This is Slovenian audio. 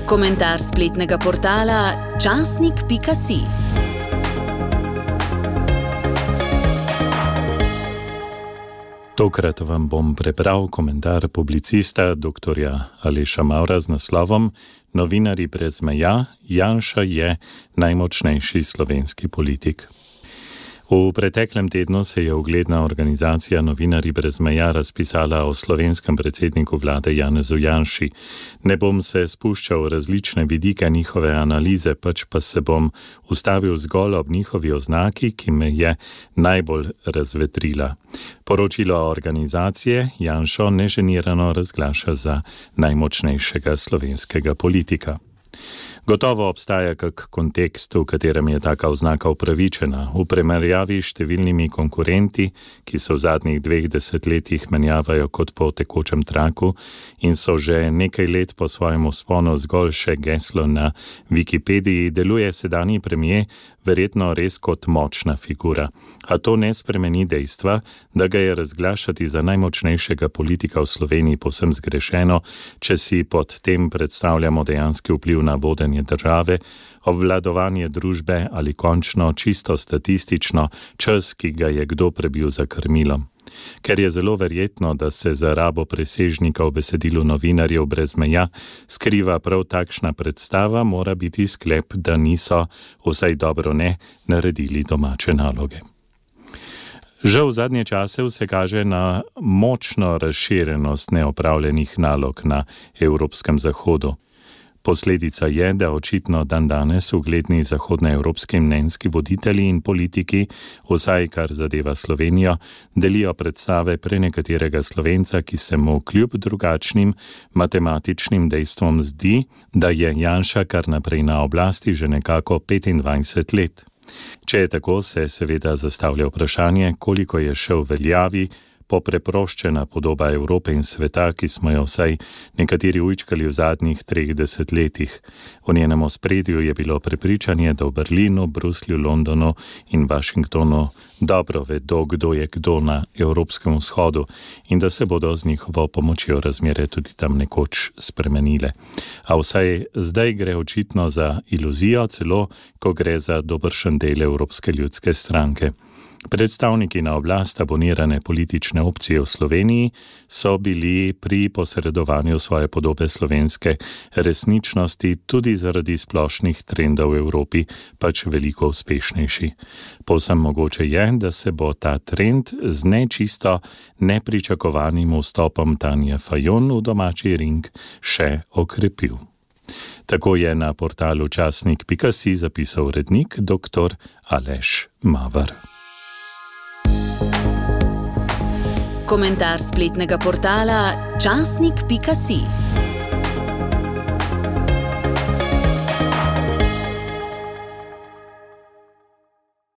Komentar spletnega portala časnik.si. Tokrat vam bom prebral komentar publicista dr. Aleša Mavra z naslovom Novinarji brez meja, Janša je najmočnejši slovenski politik. V preteklem tednu se je ugledna organizacija Novinarji brez meja razpisala o slovenskem predsedniku vlade Janezu Janši. Ne bom se spuščal v različne vidike njihove analize, pač pa se bom ustavil zgolj ob njihovi oznaki, ki me je najbolj razvetrila. Poročilo organizacije Janšo neženirano razglaša za najmočnejšega slovenskega politika. Gotovo obstaja kak kontekst, v katerem je taka oznaka upravičena. V primerjavi s številnimi konkurenti, ki se v zadnjih 2 desetletjih menjavajo kot po tekočem traku in so že nekaj let po svojem vzponu zgolj še geslo na Wikipediji, deluje sedanji premier verjetno res kot močna figura. A to ne spremeni dejstva, da ga je razglašati za najmočnejšega politika v Sloveniji povsem zgrešeno, če si pod tem predstavljamo dejanski vpliv na vodenje države, obvladovanje družbe ali končno čisto statistično čas, ki ga je kdo prebil za krmilom. Ker je zelo verjetno, da se za rabo presežnika v besedilu Novinarjev brez meja skriva prav takšna predstava, mora biti sklep, da niso, vsaj dobro ne, naredili domače naloge. Žal v zadnje čase vse kaže na močno razširjenost neopravljenih nalog na evropskem zahodu. Posledica je, da očitno dandanes ugledni zahodnoevropski mnenjski voditelji in politiki, vsaj kar zadeva Slovenijo, delijo predstave prenekaterega Slovenca, ki se mu kljub drugačnim matematičnim dejstvom zdi, da je Janša kar naprej na oblasti že nekako 25 let. Če je tako, se seveda zastavlja vprašanje, koliko je še v veljavi popreproščena podoba Evrope in sveta, ki smo jo vsaj nekateri ujčkali v zadnjih 3 desetletjih. V njenem ospredju je bilo prepričanje, da v Berlinu, Bruslju, Londonu in Washingtonu dobro vedo, kdo je kdo na Evropskem vzhodu in da se bodo z njihovo pomočjo razmere tudi tam nekoč spremenile. A vsaj zdaj gre očitno za iluzijo, celo ko gre za dobršen del Evropske ljudske stranke. Predstavniki na oblast abonirane politične opcije v Sloveniji so bili pri posredovanju svoje podobe slovenske resničnosti tudi zaradi splošnih trendov v Evropi pač veliko uspešnejši. Povsem mogoče je, da se bo ta trend z nečisto nepričakovanim vstopom Tanje Fajon v domači ring še okrepil. Tako je na portalu časnik.si zapisal urednik dr. Aleš Mavar. Komentar spletnega portala časnik.si.